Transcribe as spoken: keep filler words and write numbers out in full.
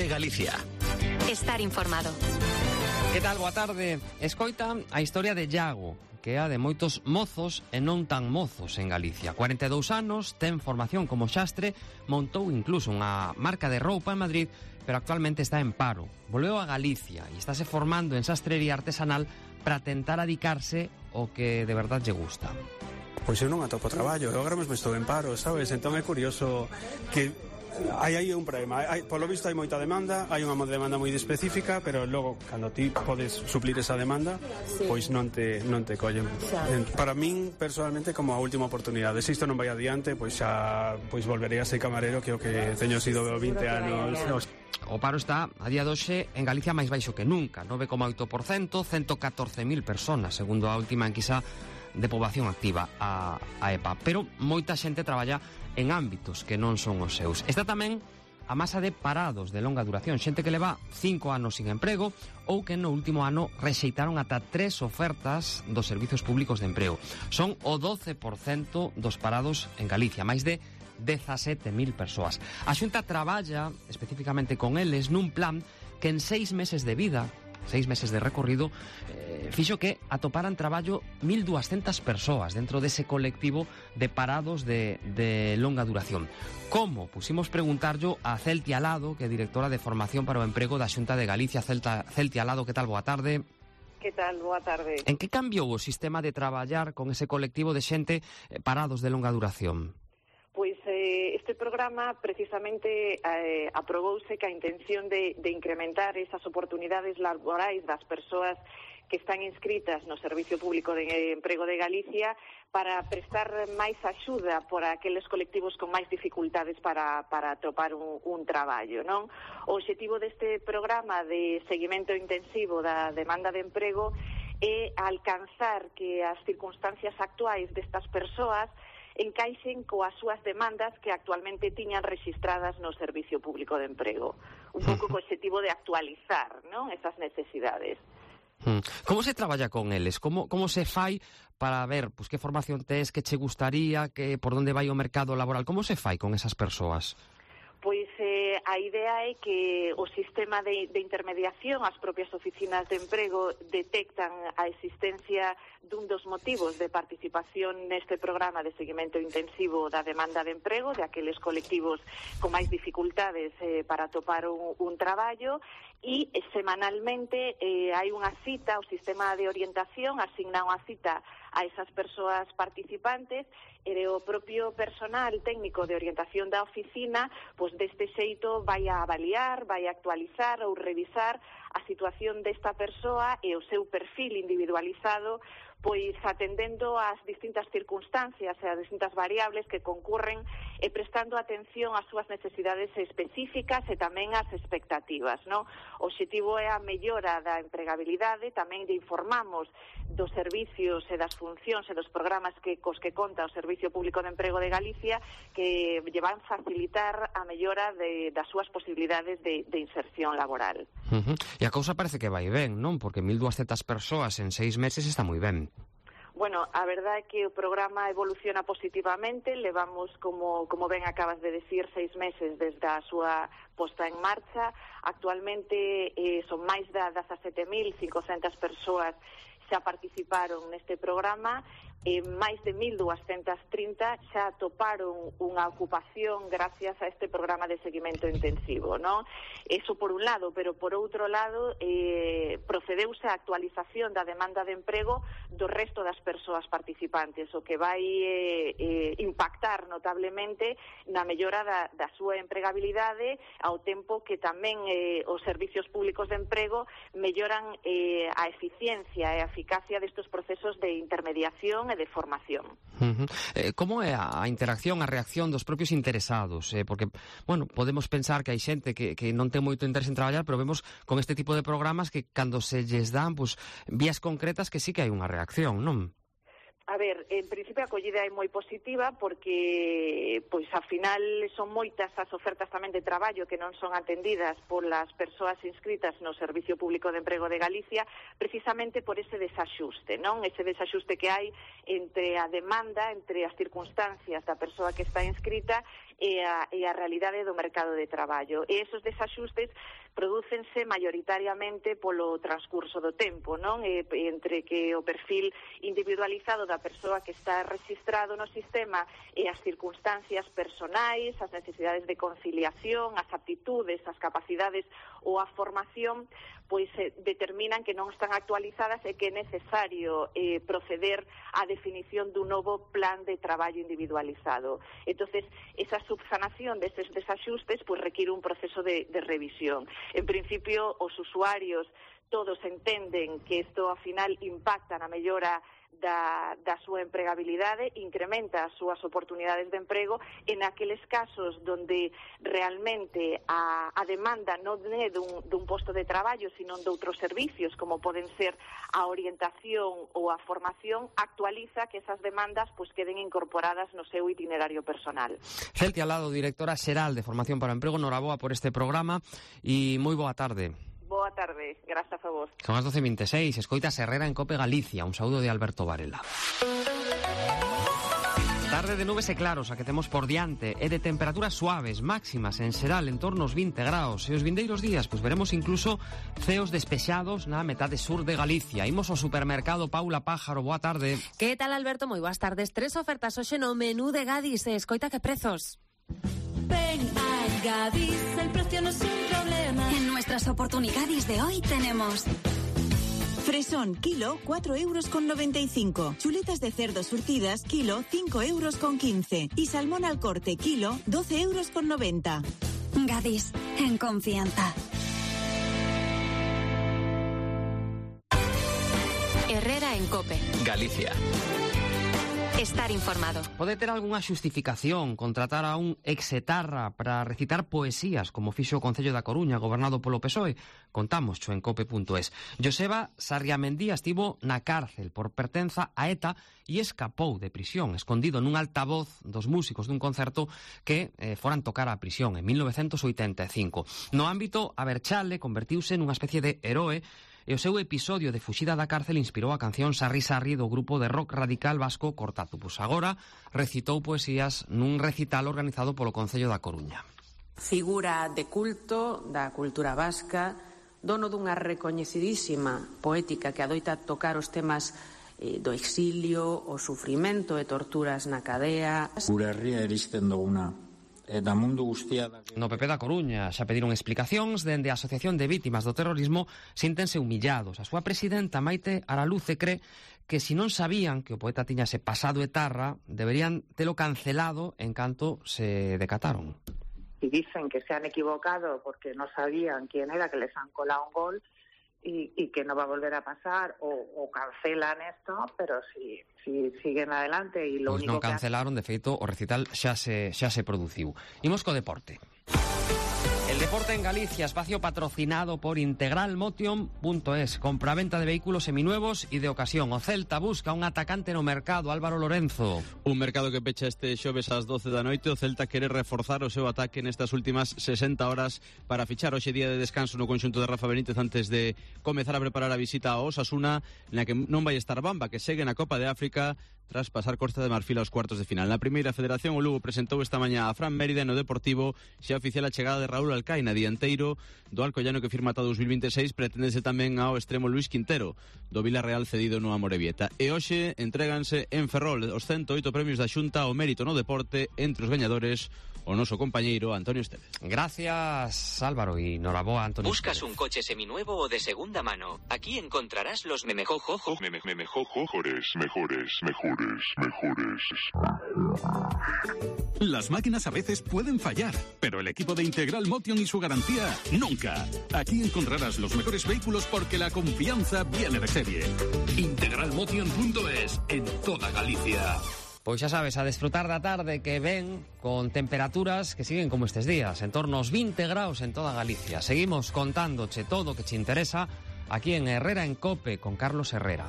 de Galicia. Estar informado. Que tal? Boa tarde. Escoita a historia de Iago, que é a de moitos mozos e non tan mozos en Galicia. cuarenta e dous anos, ten formación como xastre, montou incluso unha marca de roupa en Madrid, pero actualmente está en paro. Volveu a Galicia e estáse formando en sastrería artesanal para tentar adicarse o que de verdade lle gusta. Pois eu non atopo traballo, eu agora mesmo estou en paro, sabes? Entón é curioso que hai aí un problema, hai, polo visto hai moita demanda, hai unha demanda moi específica, pero logo cando ti podes suplir esa demanda, sí, pois non te non te collen. Claro. Para min personalmente como a última oportunidade, se isto non vai adiante, pois xa pois volverei a ser camarero, que é o que teño sido vinte anos. O paro está a día de hoxe en Galicia máis baixo que nunca, nove coma oito por cento, ciento catorce mil personas, segundo a última enquisa de poboación activa, a, a E P A. Pero moita xente traballa en ámbitos que non son os seus. Está tamén a masa de parados de longa duración, xente que leva cinco anos sin emprego ou que no último ano rexeitaron ata tres ofertas dos servizos públicos de emprego. Son o doce por cento dos parados en Galicia, máis de dezasete mil persoas. A Xunta traballa especificamente con eles nun plan que en seis meses de vida, seis meses de recorrido, eh, fixo que atoparan traballo mil duascentas persoas dentro dese colectivo de parados de, de longa duración. Como? Pusimos preguntarlo a Celti Alado, que é directora de Formación para o Emprego da Xunta de Galicia. Celta, Celti Alado, que tal? Boa tarde. Que tal? Boa tarde. En que cambiou o sistema de traballar con ese colectivo de xente eh, parados de longa duración? Pois eh, este programa precisamente eh, aprobouse que a intención de, de incrementar esas oportunidades laborais das persoas que están inscritas no Servicio Público de Emprego de Galicia para prestar máis axuda por aqueles colectivos con máis dificultades para, para atopar un, un traballo, non? O obxectivo deste programa de seguimento intensivo da demanda de emprego é alcanzar que as circunstancias actuais destas persoas encaixen coas súas demandas que actualmente tiñan rexistradas no Servicio Público de Emprego. Un pouco co objetivo de actualizar, non, esas necesidades. Como se traballa con eles? Como, como se fai para ver pues, que formación tes, que che gustaría, que por onde vai o mercado laboral? Como se fai con esas persoas? Pois eh, a idea é que o sistema de, de intermediación, as propias oficinas de emprego detectan a existencia dun dos motivos de participación neste programa de seguimento intensivo da demanda de emprego, de aqueles colectivos con máis dificultades eh, para atopar un, un traballo, e eh, semanalmente eh, hai unha cita, o sistema de orientación asigna unha cita a esas persoas participantes e o propio personal técnico de orientación da oficina, pois deste xeito vai a avaliar, vai a actualizar ou revisar a situación desta persoa e o seu perfil individualizado, pois atendendo ás distintas circunstancias e ás distintas variables que concurren e prestando atención ás súas necesidades específicas e tamén ás expectativas, non? O obxectivo é a mellora da empregabilidade, tamén lle informamos dos servicios e das funcións e dos programas que cos que conta o Servicio Público de Emprego de Galicia, que lle van facilitar a mellora de, das súas posibilidades de, de inserción laboral. Uh-huh. E a cousa parece que vai ben, non? Porque mil duascentas persoas en seis meses está moi ben. Bueno, a verdade é que o programa evoluciona positivamente, levamos, como, como ben acabas de decir, seis meses desde a súa posta en marcha. Actualmente eh, son máis de dezasete mil cincocentas persoas xa participaron neste programa, e máis de mil duascentas trinta xa atoparon unha ocupación gracias a este programa de seguimento intensivo, non? Eso por un lado, pero por outro lado eh, procedeuse a actualización da demanda de emprego do resto das persoas participantes, o que vai eh, eh, impactar notablemente na mellora da, da súa empregabilidade, ao tempo que tamén eh, os servicios públicos de emprego melloran eh, a eficiencia e a eficacia destes procesos de intermediación e de formación. Uh-huh. Eh, como é a interacción, a reacción dos propios interesados? Eh, porque, bueno, podemos pensar que hai xente que, que non ten moito interés en traballar, pero vemos con este tipo de programas que cando se lles dan pues, vías concretas que sí que hai unha reacción, non? A ver, en principio a acollida é moi positiva porque, pois, ao final son moitas as ofertas tamén de traballo que non son atendidas polas persoas inscritas no Servicio Público de Emprego de Galicia, precisamente por ese desaxuste, non? Ese desaxuste que hai entre a demanda, entre as circunstancias da persoa que está inscrita e a, e a realidade do mercado de traballo. E esos desaxustes prodúcense maioritariamente polo transcurso do tempo, non? E, entre que o perfil individualizado da persoa que está registrado no sistema e as circunstancias personais, as necesidades de conciliación, as aptitudes, as capacidades ou a formación, pois eh, determinan que non están actualizadas e que é necesario eh, proceder á definición dun novo plan de traballo individualizado. Entonces, esa subsanación deses desaxustes pois requiere un proceso de, de revisión. En principio, os usuarios todos entenden que isto, ao final, impacta na mellora da, da súa empregabilidade, incrementa as súas oportunidades de emprego en aqueles casos donde realmente a, a demanda non é dun, dun posto de traballo, sino de outros servicios, como poden ser a orientación ou a formación, actualiza que esas demandas pues, queden incorporadas no seu itinerario personal. Celtia Alado, directora xeral de Formación para o Emprego, noraboa por este programa e moi boa tarde. Boa tarde, grazas a vos. Son as doce e veintiséis, escoitas Herrera en Cope Galicia. Un saúdo de Alberto Varela. Tarde de nubes e claros a que temos por diante e de temperaturas suaves, máximas en xeral en torno aos vinte graus. E os vindeiros días, pois veremos incluso ceos despexados na metade sur de Galicia. Imos ao supermercado Paula Pájaro, boa tarde. Que tal, Alberto? Moi boas tardes. Tres ofertas hoxe no menú de Gadis. Escoita que prezos. Ven a Gadis, el precio no es un problema. En nuestras oportunidades de hoy tenemos fresón, kilo, cuatro euros con noventa y cinco. Chuletas de cerdo surtidas, kilo, cinco euros con quince. Y salmón al corte, kilo, doce euros con noventa. Gadis, en confianza. Herrera en Cope. Galicia. Estar informado. Pode ter algunha xustificación contratar a un exetarra para recitar poesías como fixo o Concello da Coruña, gobernado polo P S O E? Contamos en cope punto es. Joseba Sarriamendía estivo na cárcel por pertenza a ETA e escapou de prisión, escondido nun altavoz dos músicos dun concerto que eh, foran tocar a prisión en mil novecentos oitenta e cinco. No ámbito, a Berchale convertiuse nunha especie de heroe e o seu episodio de fuxida da cárcel inspirou a canción Sarri Sarri do grupo de rock radical vasco Cortazupus. Agora recitou poesías nun recital organizado polo Concello da Coruña. Figura de culto da cultura vasca, dono dunha recoñecidísima poética que adoita tocar os temas eh, do exilio, o sufrimento e torturas na cadea. Gure herria eristen duguna. Da mundo guztia... No P P da Coruña xa pediron explicacións dende a Asociación de Vítimas do Terrorismo, síntense humillados. A súa presidenta Maite Araluce cree que si non sabían que o poeta tiñase pasado etarra, deberían telo cancelado en canto se decataron. Y dicen que se han equivocado porque no sabían quién era, que les han colado un gol y, y que no va a volver a pasar o, o cancelan esto, pero si, si siguen adelante y lo pues único non cancelaron, que... de feito, o recital xa se, xa se produciu. Imos co deporte. El deporte en Galicia, espacio patrocinado por Integral Motion punto es. Compraventa de vehículos seminuevos y de ocasión. O Celta busca un atacante no mercado, Álvaro Lorenzo. Un mercado que pecha este xoves ás doce da noite. O Celta quere reforzar o seu ataque nestas últimas sesenta horas para fichar hoxe día de descanso no conxunto de Rafa Benítez antes de comezar a preparar a visita a Osasuna, na que non vai estar Bamba, que segue na Copa de África tras pasar Costa de Marfil aos cuartos de final. Na primeira federación, o Lugo presentou esta mañá a Fran Mérida no Deportivo, xa oficial a chegada de Raúl Alcaina, dianteiro do Alcoyano que firma ata dous mil veintiséis, preténdese tamén ao extremo Luis Quintero, do Villarreal cedido no Amorebieta. E hoxe entréganse en Ferrol os ciento oito premios da Xunta ao mérito no deporte, entre os gañadores o noso compañeiro Antonio Estevez. Gracias, Álvaro, y noraboa, Antonio. ¿Buscas un coche seminuevo o de segunda mano? Aquí encontrarás los memejojojos. Me, me, mejores, mejores, mejores, mejores. Las máquinas a veces pueden fallar, pero el equipo de Integral Motion y su garantía, nunca. Aquí encontrarás los mejores vehículos porque la confianza viene de serie. Integral Motion punto es, en toda Galicia. Pois xa sabes, a desfrutar da tarde que ven con temperaturas que siguen como estes días, en torno aos vinte graus en toda Galicia. Seguimos contándoche todo o que te interesa aquí en Herrera en Cope con Carlos Herrera.